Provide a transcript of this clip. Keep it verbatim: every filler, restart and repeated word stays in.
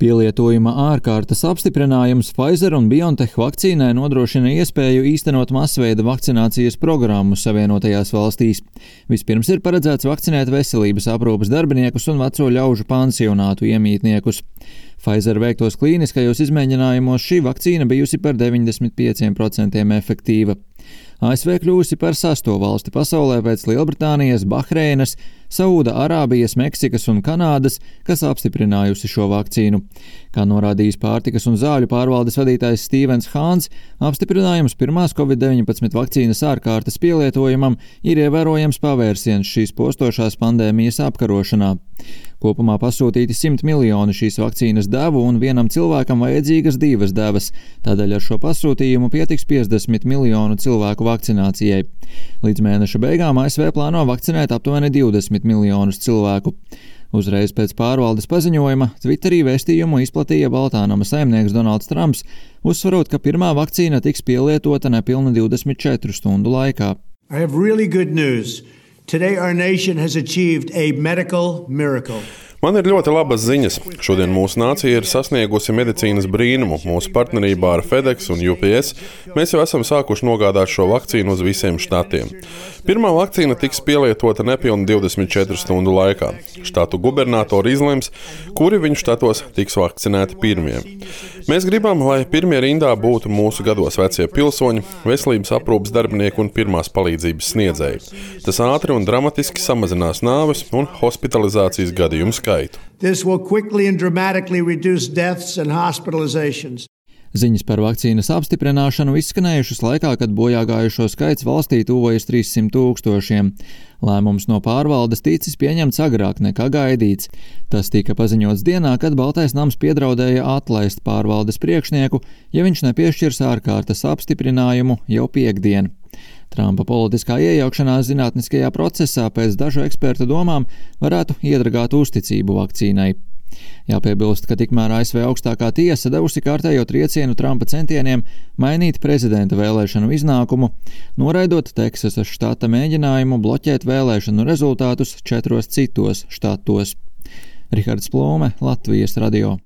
Pielietojuma ārkārtas apstiprinājums Pfizer un BioNTech vakcīnai nodrošina iespēju īstenot masveida vakcinācijas programmu Savienotajās valstīs. Vispirms ir paredzēts vakcinēt veselības aprūpes darbiniekus un veco ļaužu pansionātu iemītniekus. Pfizer veiktos klīniskajos izmēģinājumos šī vakcīna bijusi par deviņdesmit pieciem procentiem efektīva. A S V kļūsi par sesto valsti pasaulē pēc Lielbritānijas, Bahreinas, Sauda Arābijas, Meksikas un Kanādas, kas apstiprinājusi šo vakcīnu. Kā norādījis pārtikas un zāļu pārvaldes vadītājs Stevens Hāns, apstiprinājums pirmās covid deviņpadsmit vakcīnas ārkārtas pielietojumam ir ievērojams pavērsiens šīs postošās pandēmijas apkarošanā. Kopumā pasūtīti simt miljoni šīs vakcīnas devu un vienam cilvēkam vajadzīgas divas devas, tādēļ ar šo pasūtījumu pietiks piecdesmit miljonu cilvēku vakcinācijai. Līdz mēneša beigām A S V plāno vakcinēt aptuveni divdesmit miljonus cilvēku. Uzreiz pēc pārvaldes paziņojuma Twitterī vēstījumu izplatīja Baltānama saimnieks Donalds Trumps, uzsvarot, ka pirmā vakcīna tiks pielietota nepilni divdesmit četru stundu laikā. I have really good news. Today our nation has achieved a medical miracle. Man ir ļoti labas ziņas. Šodien mūsu nācija ir sasniegusi medicīnas brīnumu. Mūsu partnerībā ar FedEx un U P S mēs jau esam sākuši nogādāt šo vakcīnu uz visiem štatiem. Pirmā vakcīna tiks pielietota nepilni divdesmit četru stundu laikā. Štatu gubernatori izlems, kuri viņu štatos tiks vakcinēti pirmie. Mēs gribam, lai pirmie rindā būtu mūsu gados vecie pilsoņi, veselības aprūpes darbinieki un pirmās palīdzības sniedzēji. Tas ātri un dramatiski samazinās nāves un hospitalizācijas gadījumu skaitu. This will quickly and dramatically reduce deaths and hospitalizations. Ziņas par vakcīnas apstiprināšanu izskanējušas laikā, kad bojāgājušo skaits valstī tuvojas trīssimt tūkstošiem. Lēmums no pārvaldes ticis pieņemts agrāk nekā gaidīts. Tas tika paziņots dienā, kad Baltais nams piedraudēja atlaist pārvaldes priekšnieku, ja viņš nepiešķirs ārkārtas apstiprinājumu jau piektdien. Trumpa politiskā iejaukšanās zinātniskajā procesā pēc dažu ekspertu domām varētu iedragāt uzticību vakcīnai. Jāpiebilst, ka tikmēr A S V augstākā tiesa devusi kārtējo triecienu Trumpa centieniem mainīt prezidenta vēlēšanu iznākumu, noraidot Teksasas štata mēģinājumu bloķēt vēlēšanu rezultātus četros citos štatos. Rihards Plūme, Latvijas radio.